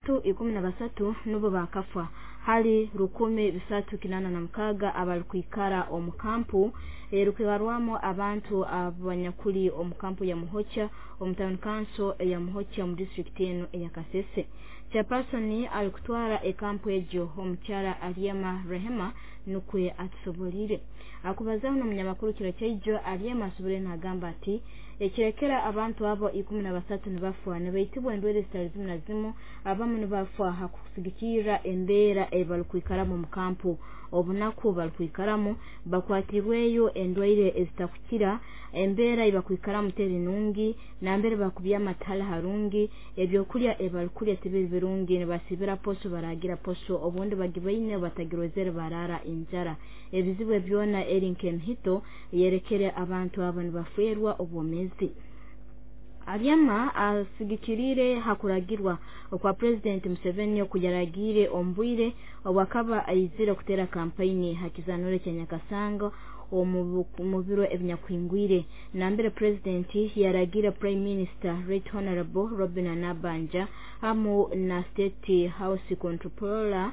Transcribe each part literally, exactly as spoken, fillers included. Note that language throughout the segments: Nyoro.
Ikumi na basatu nubo bakafwa hali rukumi bisatu kinana na mukaga abalikwikara omu kampu erukwibarwamu abantu abanyakuli omu kampu ya Muhokya omu town council ya Muhokya mu district eno eya Kasese. Chairperson alikutwara ekampu egyo omukyala Aryema Rehema nukwe atusobolire. Akubazaho n'omunyamakuru kiro kyaijo, Aryema asobole nagamba ati ekirekera abantu abo ikumi na basatu nibafwa nibaitibwa endwaire zitali zimu na zimu, abamu nibafwa hakusigikirra embeera ebalikwikaramu mu kampu, obunaku balikwikaramu bakwatirweyo endwaire ezitakukira, embeera ebakwikaramu teri nungi, nambere bakubyama tihali harungi, ebyokulya ebalikulya tibiri birungi, nibasibira poso baragira poso, obundi bagibaine batagirozere barara enjara. Ebizibu byona eri nk'emihito yerekere abantu abo nibafwerwa obwomeezi. Aryema asigikirire hakuragirwa okwa President Museveni okuyaragiire omu bwire obwakaba aizire kutera kampeyini hakizanuro kya Nyakasanga omu biro ebinyakuhingwire, nambere President yaragiire Prime Minister Right Honorable Robinah Nabbanja hamu na State House Comptroller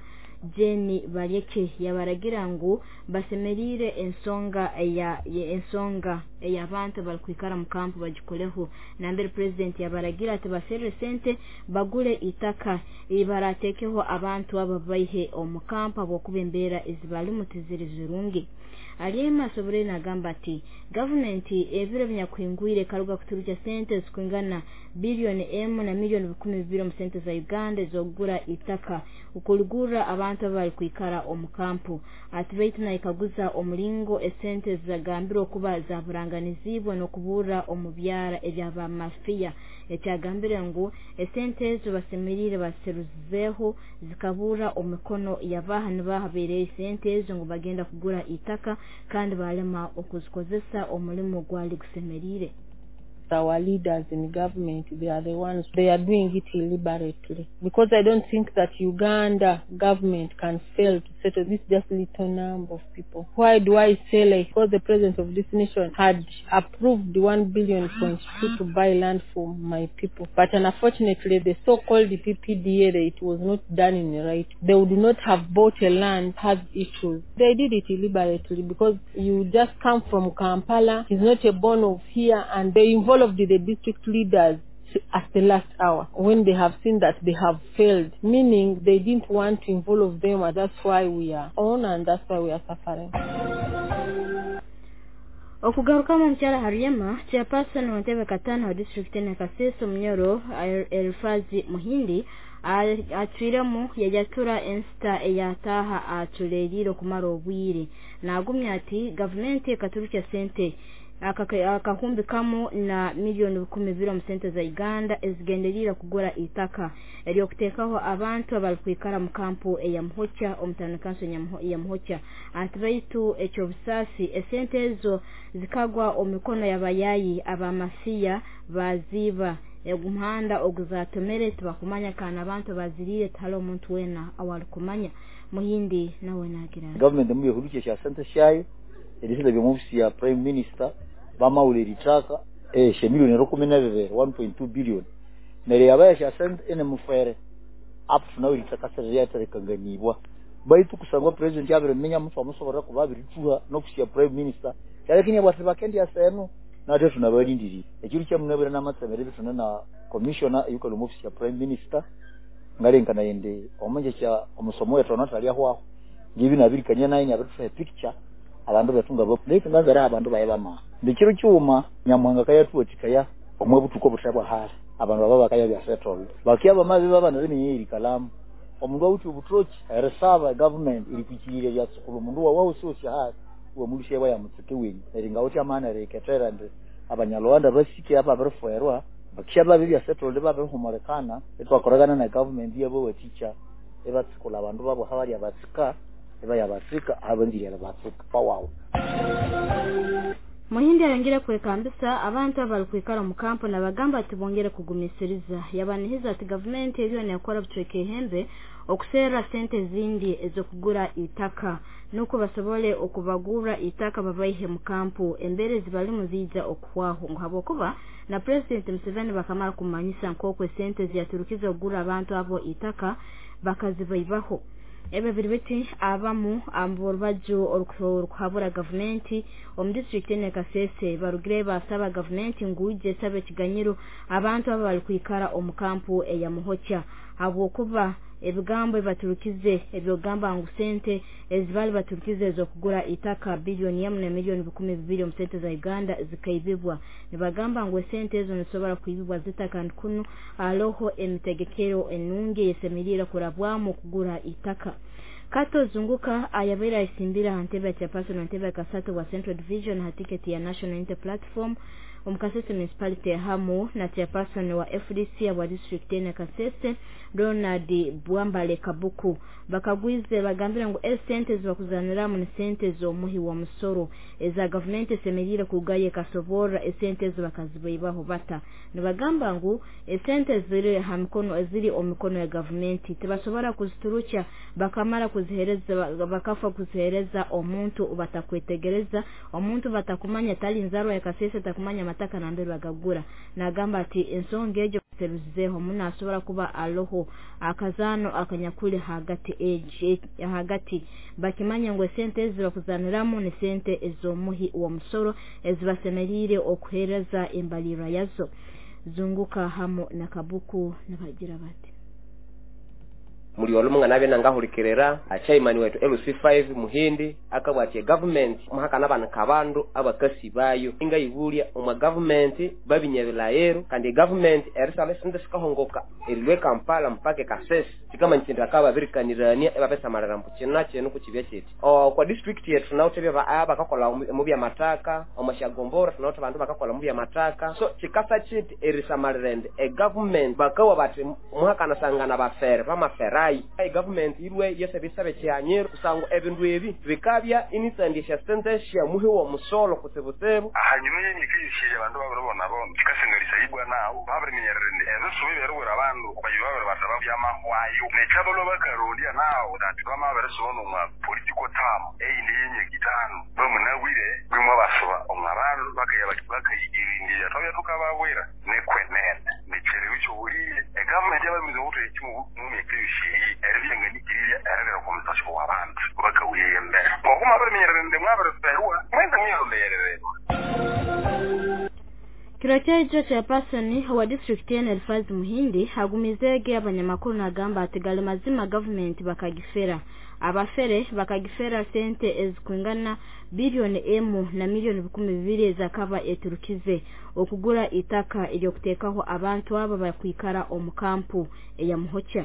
Jane Baleke, yabaragira ngu basemeriire ensonga eya ensonga ey'abantu balikwikara mu kampu bagikoleho, nambere President yabaragira ati baserre sente bagule itaka ibaratekeho abantu abo baihe omu kampu habwokuba embeera ezibalimu tiziri zirungi. Aryema asobolere nagamba ati gavumenti ebiro ebinyakuhingwire ekaruga kuturukya sente zikwingana biliyoni emu na miliyoni bikumi bibiri omu sente za Uganda ez'okugura itaka okuligurra abantu abalikwikara omu kampu. Ati baitu nayekaguza omulingo esente zagambirwe okuba zaburanganiziibwe n'okuburra omu byara eby'abamafiya, ekyagambire ngu esente ezo basemeriire baseruzizeeho zikaburra omu mikono yabaha nibaha baireyo esente ezo ngu bagenda kugura itaka kandi balema okuzikozesa omulimu gwali gusemeriire. Our leaders in government, they are the ones, they are doing it deliberately. Because I don't think that Uganda government can fail to settle this just little number of people. Why do I say like, because the president of this nation had approved one billion point two to buy land for my people. But unfortunately, the so-called P P D A, it was not done in the right. They would not have bought a land has issues. They did it deliberately because you just come from Kampala, he's not a born of here, and they involved the district leaders at the last hour when they have seen that they have failed, meaning they didn't want to involve them, and that's why we are on and that's why we are suffering. Okugarukamu omukyala Haryema, chairperson wa ntebe katano wa district ya Kasese Omunyoro Elifazi Muhindi acwiremu yajatura ensita eyataha aculerire okumara obwire. Nagumya ati gavumenti ekaturukya sente akahumbi kamu na miliyoni bikumi bibiri omu sente za Uganda ezigenderire kugura itaka eryokuteekaho abantu abalikwikara mu kampu eya Muhokya omu town council ya Muhokya. Ati baitu ekyobusaasi esente ezo zikagwa omu mikono y'abayayi abamasiya baziiba omuhanda oguzatomere tibakumanya kandi abantu baziriire tihali omuntu weena awalikumanya. Muhindi nawe nagira Gavumenti mubihurukye sha sente syayo erisida by'omu ya Prime Minister bamawulira itaka eh she miliyoni rukumi na bibiri, one point two billion, neryo yabaya sha sente ene mufere up to now itaka siryaterekanganibwa. Baitu kusangwa president yabiriminya mutu amusobora kuba abirituha n'ofisi ya Prime Minister kyalekini bwati bakendi asenu nate tunabalindiriye ekiru kyamunabira n'amatsemere bituna na commissioner eyukali mu ofisi ya Prime Minister ngalenkana yende omunje kya omusomo wetu onatalya hwaho ngibi nabirikania naye nyabituha picture abantu betunga bo ngazara abantu baye bama ndikiro cyuma Nyamuhanga kayatuwatikaya omwe butuko butabwa hali abantu baba bakaya bya settled bakia bamaze baba nariminyeri kalamu omundu awuthi obutroki erisaba government iri kwikirire bya sukulu omundu wawe usosi hali uwe mulushe wa yamutsike wenyu eri ngawuthi amana eriketera ndi Abanyarwanda basike aba babirifwerwa bakisha babe bya settled babirihumulikana etwakoragana na government yabo waticha ebatsikula abandu babo habali abatsika ebayabatsika abanzire abatsika pawawo. Muhindi ayongere kwekambisa abantu abalikwikara mu kampu nabagamba ati bongere kugumisiriza. Yabanihiza ati gavumenti eriyo nekora bucweka ehembe okuserra sente zindi ez'okugura itaka nuko basobole okubagura itaka babaihe mu kampu embere zibalimu ziija okuhwaho, ngu habwokuba na President Museveni bakamara kumanyisa nk'oku esente ziyaturukiza okugura abantu abo itaka bakazibaibaho. Ebyo biri biti abamu aborubaju orukuhabura gavumenti omu disitulikiti ene Kasese barugire basaba gavumenti ngu ije esabe ekiganyiro abantu abo balikwikara omu kampu eya Muhokya, habwokuba ebigambo ebaturukize ebyogamba ngu sente ezibali baturukize ez'okugura itaka biliyoni emu na miliyoni bikumi bibiri omu sente za Uganda zikaibibwa. Nibagamba ngu esente ezo nizisobora kwibibwa zita, kandi kunu aloho emitegekero enungi eyesemeriire kurabwamu okugura itaka. Kato Zunguka ayabaire aisimbira aha ntebe ya chairperson wa ntebe ya kasatu wa Central Division ha tiketi ya National Unity Platform omu Kasese Municipality hamu na chairperson wa F D C wa district ene Kasese Ronald Bwambale Kabuku bakagwize bagambira ngu esente zibakuzaniramu ni sente z'omuhi wa musoro eza gavumenti esemeriire kugaye kasoborra esente ezo bakazibaibaho bata. Nibagamba ngu esente ziri ha mikono eziri omu mikono ya gavumenti tibasobora kuziturukya bakamara kuzihereza bakafa kuzihereza omuntu batakwetegereza, omuntu batakumanya tali nzarwa ya Kasese takumanya mataka nambere bagagura. Nagamba ati ensonga egyo teruzizeho muno asobora kuba aloho akazano akanyakuli hagati eji hagati bakimanya ngu esente ezi bakuzaniramu ni sente ez'omuhi wa musoro ezibasemeriire okuhereza embalirwa yazo. Zunguka hamu na Kabuku nabagira bati muli olumunga nabe nangahulikirira achaimani wetu L C five Muhindi akabwati government muhaka nabana kabandu abakasi bayo inga ibulya omwa government babinyebilayero kandi government erisale sente sikahongoka erilwe Kampala mpake Kasese kikama nchinda kaba birikanirania ebapesa marara mpuchina chenu kuchibya chiti o kwa district yetu tunawutebya ba abakakola mu bya mataka omashagombora tunawuthe bandu bakakola mu bya mataka so chikasa chiti erisamalirende e government bakawa bati muhaka nasangana bafere bamafera ai government irwe yesebisabe kyanyero kusango ebindu ebi bikabya initsandisha sente sha muhi wa musolo kusebusebu hanyuma yenyikishije abantu babirobona bo kikasengalisa ibwa nawo babirimenyererende ebisubi berwera abantu bayibabere bataba byamahwayo nechabalo bakarondya nawo that bamaberesono mwa political term eyindi yenyikitano bamunawire bimwe basuba omwabantu bakaya bakayigirindira twabya tukababwera nekwenene necherewe cyo buliye e government yabamize ukuthi ekimu mumyekishe eribyenganikirira ererera komutasho w'abantu bakawuyembera ngokuma barimenyererende mwabereferwa mwenda mwiyonderere. Kiro kyejo chairperson wa district ene Elfaz Muhindi agumizege abanyamakuru nagamba ati gali mazima government bakagifera abafere bakagifera sente ezikwingana bilioni emu na milioni bikumi bibiri ezakaba eturukize okugura itaka eryokuteekaho abantu aba bakwikara omu kampu eya Muhokya.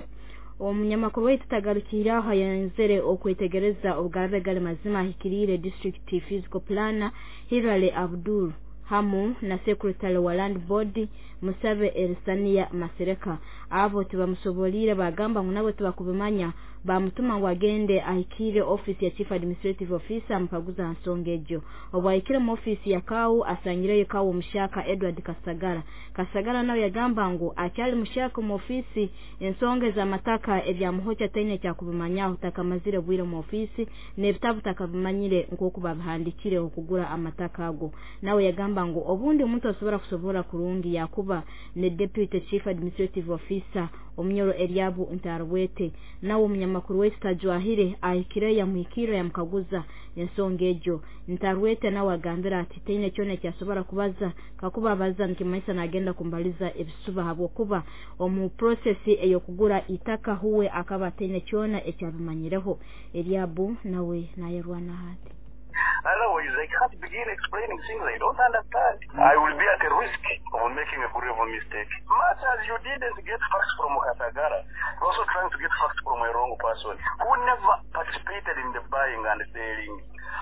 Omunyamakuru waitu tagarukira aho yanzere okwetegereza obugarabe gali mazima ahikirire district physical planner Hilale Abdul hamu na secretary wa land board Musabe Elisania Masereka. Abo tibamusobolire bagamba ngu nabo tibakubimanya bamutuma ngu agende ahikire office ya chief administrative officer mukaguza nsonga egyo. Obwo ahikire mu office ya Kau asangireyo Kau mushaka Edward Kasagara. Kasagara nawe yagamba ngu akyali mushaka mu office ensonga z'amataka ebya Muhokya taine kyakubimanyaho takamazire bwire mu office n'ebitabu takabimanyire nk'oku babihandikire okugura amataka ago. Nawe yagamba ngu obundi omuntu asobora kusobora kurungi yakuba ne deputy chief administrative officer omunyoro Eliabu Ntarwete. Nawe omunyamakuru waitu tajwahire ahikire yamuhikira yamukaguza ensonga egyo. Ntarwete nawe agambira ati taine kyona kyasobora kubaza kakuba abaza nikimanyisa nagenda kumbaliza ebisuba habwokuba omu process ey'okugura itaka huwe akaba taine kyona ekyabimanyireho. Eliabu nawe nayerwana hati. Otherwise, I can't begin explaining things I don't understand. I will be at a risk of making a grave mistake. Much as you didn't get facts from Kasagara, you're also trying to get facts from a wrong person who never participated in the buying and selling.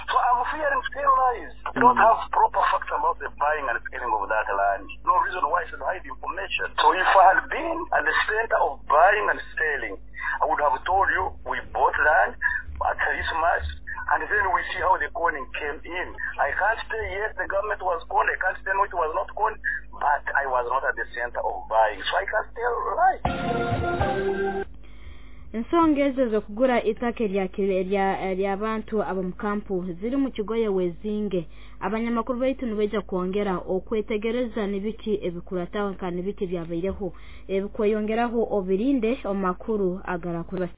So I'm fearing to tell lies. I don't have proper facts about the buying and selling of that land. No reason why I should hide information. So if I had been at the center of buying and selling, I would have told you we bought land at this much, And then we see how the conning came in. I can't say yes, the government was conned. I can't say no, it was not conned. But I was not at the center of buying. So I can't tell right. Ensonga ezo ez'okugura itaka ery'abantu ab'omu kampu ziri mu kigoye wezinge. Abanyamakuru baitu nibaija kwongera okwetegereza nibiki ebikurataho kandi nibiki ebyabaireho ebikweyongeraho, obirinde omu makuru agarakura.